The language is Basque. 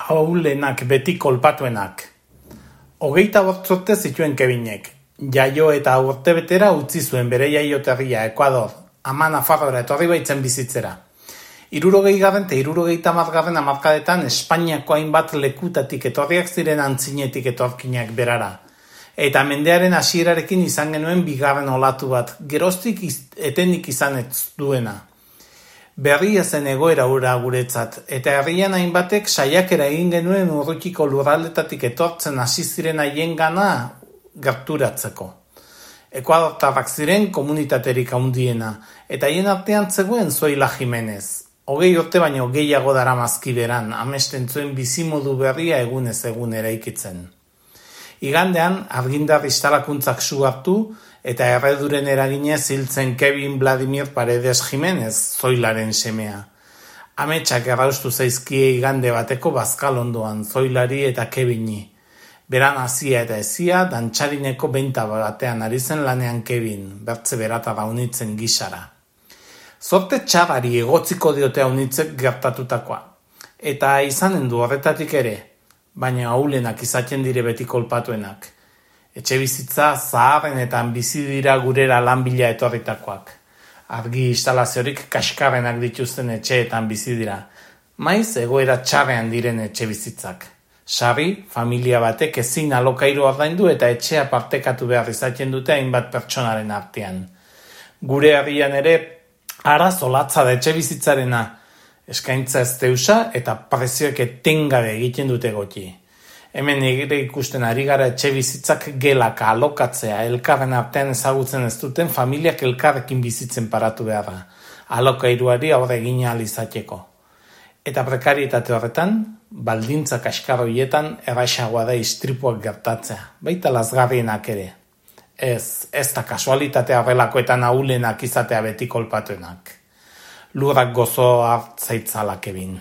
Ahulenak beti kolpatuenak. 25 urte zituen Kevinek. Jaio eta urtebetera utzi zuen bere jaioterria Ekuador, ama Nafarroara etorri baitzen bizitzera. 60. eta 70. hamarkadetan Espainiako hainbat lekutatik etorriak ziren antzinetik etorkinak berara. Eta mendearen hasierarekin izan genuen bigarren olatu bat, geroztik etenik izan ez duena. Berria zen egoera hura guretzat, eta herrian hainbatek saiakera egin genuen urrutiko lurraldetatik etortzen hasi ziren haiengana gerturatzeko. Ekuadortarrak ziren komunitaterik handiena, eta haien artean zegoen Zoila Jimenez. 20 urte baino gehiago daramazki beran, amesten zuen bizimodu berria egunez egun eraikitzen. Igandean, argindar instalakuntzak su hartu, eta erreduren eraginez hiltzen Kevin Vladimir Paredes Jimenez, Zoilaren semea. Ametsak erraustu zaizkie igande bateko bazkal ondoan, Zoilari eta Kevini. Beran hasia eta ezia, dantxarineko beinta batean ari zen lanean Kevin, bertze berata raunitzen gisara. Zorte txarrari egotziko diote haunitzek gertatutakoa. Eta izanen du horretatik ere, baina ahulenak izaten dire beti kolpatuenak. Etxe bizitza zaharrenetan bizi dira gurera lan bila etorritakoak. Argi instalaziorik kaskarrenak dituzten etxeetan bizi dira. Maiz egoera txarrean diren etxe bizitzak. Sarri, familia batek ezin alokairu ordaindu eta etxea partekatu behar izaten dute hainbat pertsonaren artean. Gure herrian ere arazo latza da etxe bizitzarena. Eskaintza ez deusa eta prezioek etengabe egiten dute goti. Hemen ere ikusten ari gara etxe bizitzak gelaka alokatzea, elkarren artean ezagutzen ez duten familiak elkarrekin bizitzen paratu behar da. Alokairuari aurre egin ahal izateko. Eta prekarietate horretan, baldintza kaskar horietan erraisagoa da istripuak gertatzea, baita lazgarrienak ere. Ez da kasualitatea horrelakoetan ahulenak izatea beti kolpatuenak. Lurrak gozo hartzaitzalak Kevin.